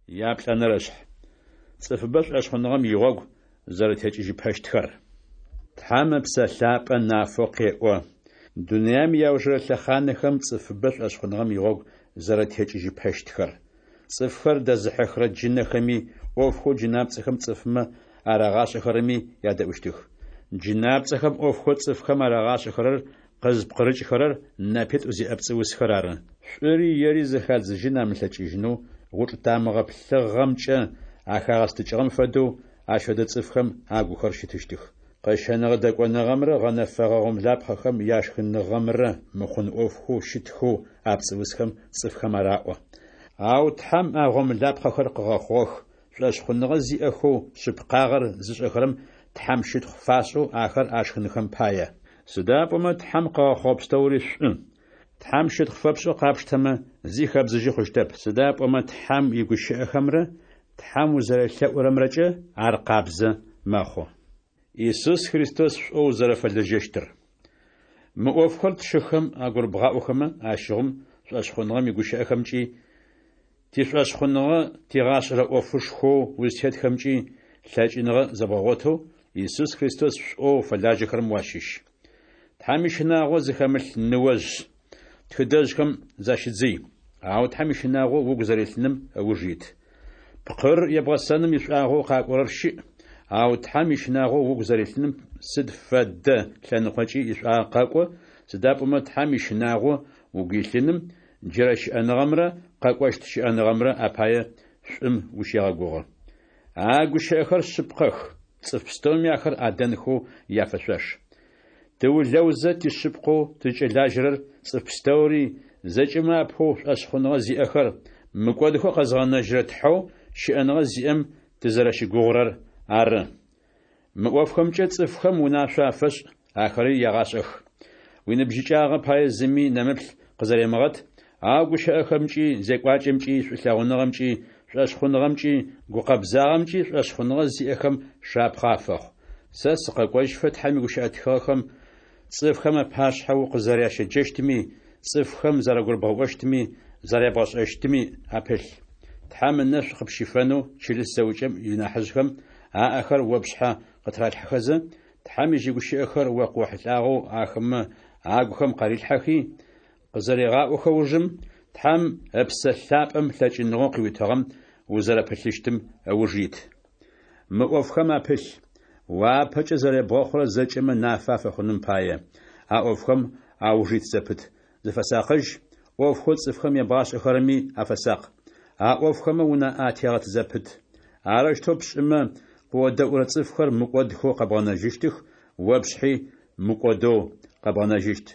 Яплӏэнэрэшъхь. Цӏыфыбэ шӏошъхъуныгъэм игъогу зэрэтекӏыжьыпэщтхэр. Тхьэм Ыпсэ Лъапӏэ нафэу къеӏо: дунаем иаужырэ лъэхъанэхэм цӏыфыбэ шӏошъхъуныгъэм игъогу зэрэтекӏыжьыпэщтхэр. Цӏыфхэр дэзыхьыхырэ джынэхэми, ӏофхэу джынапцӏэхэм цӏыфмэ арагъашӏэхэрэми ядэӏущтых. Джынапцӏэхэм ӏофхэу цӏыфхэм арагъашӏэхэрэр къызпкъырыкӏхэрэр нэпитӏу зиӏэ пцӏыусхэр ары. Шӏури ери зэхадзыжьын амылъэкӏыжьынэу гъучӏ тамыгъэ плъыгъэмкӏэ ахагъэстыкӏыгъэм фэдэу, ащ фэдэ цӏыфхэм агухэр щытыщтых. Къэщэныгъэ-дэкӏоныгъэмрэ гъэнэфэгъэ гъомлапхъэхэм яшхыныгъэмрэ мыхъун ӏофхэу щытхэу а пцӏыусхэм цӏыфхэм араӏо. Ау Тхьэм а гъомлапхъэхэр къыгъэхъугъэх, шӏошъхъуныгъэ зиӏэхэу шъыпкъагъэр зышӏэхэрэм Тхьэм щытхъу фашӏэу ахэр ашхынхэм пае. Сыда пӏомэ Тхьэм къыгъэхъугъэ пстэури шӏу. Тхьэм щытхъу фэпшӏэу къапштэмэ, зи хэбдзыжьы хъущтэп, сыда пӏомэ Тхьэм игущыӏэхэмрэ Тхьэм узэрелъэӏурэмрэкӏэ ар къабзэ мэхъу. Исус Христос шӏоу узэрэфэлэжьэщтыр. Мы ӏофхэр тшыхэм агурыбгъаӏохэмэ, ащыгъум шӏошъхъуныгъэм игущыӏэхэмкӏи, тишӏошъхъуныгъэ тигъашӏэрэ ӏофышхоу узтетхэмкӏи лъэкӏыныгъэ зэбгъэгъотэу, Исус Христос шӏоу фэлажьэхэрэм уащыщ. Тхьэм ищынагъо зыхэмылъ ныожъ тхыдэжъхэм защыдзый. Ау Тхьэм ищынагъо угу зэрилъыным ыуж ит. Пкъыр ебгъэсэным ишӏуагъэу къакӏорэр щыӏ, ау Тхьэм ищынагъо угу зэрилъыным сыд фэдэ лъэныкъокӏи ишӏуагъэ къэкӏо, сыда пӏомэ Тхьэм ищынагъо угу илъыным джырэ щыӏэныгъэмрэ къэкӏощт щыӏэныгъэмрэ апае шӏум ущегъэгугъы. А гущыӏэхэр шъыпкъэх, цӏыф пстэуми ахэр адэнхэу яфэшъуаш. Тыулэузэ тишъыпкъэу тызкӏэлажьэрэр цӏыф пстэури, зэкӏэмэ апэу шӏошъхъуныгъэ зиӏэхэр, мыкӏодхэу къэзгъэнэжьырэ Тхьэу щыӏэныгъэ зиӏэм тызэрэщыгугъырэр ары. Мы ӏофхэмкӏэ цӏыфхэм унашъо афэшӏ, ахэри ягъашӏэх. Уиныбжьыкӏагъэ пае зыми нэмыплъ къызэремыгъэт, ау гущыӏэхэмкӏи, зекӏуакӏэмкӏи, шӏулъэгъуныгъэмкӏи, шӏошъхъуныгъэмкӏи, гукъэбзагъэмкӏи шӏошъхъуныгъэ зиӏэхэм шапхъэ афэхъу. Сэ сыкъэкӏожьыфэ Тхьэм игущыӏэ тхыгъэхэм цӏыфхэм апашъхьэ укъызэрящеджэщтми, цӏыфхэм зэрагурыбгъэӏощтми, зэрябгъэшӏэщтми апылъ. Тхьэм ынэшӏу къыпщифэнэу чылыс зэӏукӏэм инахьыжъхэм аӏэхэр о пшъхьэ къытыралъхьэхэзэ, Тхьэм ежь игущыӏэхэр о къыохьылӏагъэу ахэмэ агухэм къарилъхьэхи, къызэрегъаӏохэ ужым, Тхьэм Ыпсэ Лъапӏэм лъэкӏыныгъэу къыуитыгъэм узэрэпылъыщтым ыуж ит. Мы ӏофхэм апылъ, уапэкӏэ зэребгъэхъурэр зэкӏэмэ нафэ афэхъуным пае, а ӏофхэм ауж ит зэпыт, зыфэсакъыжь, ӏофхэу цӏыфхэм ябгъашӏэхэрэми афэсакъ. А ӏофхэмэ унаӏэ атегъэт зэпыт. Арэущтэу пшӏымэ, къыодэӏурэ цӏыфхэр мыкӏодхэу къэбгъэнэжьыщтых, о пшъхьи мыкӏодэу къэбгъэнэжьыщт.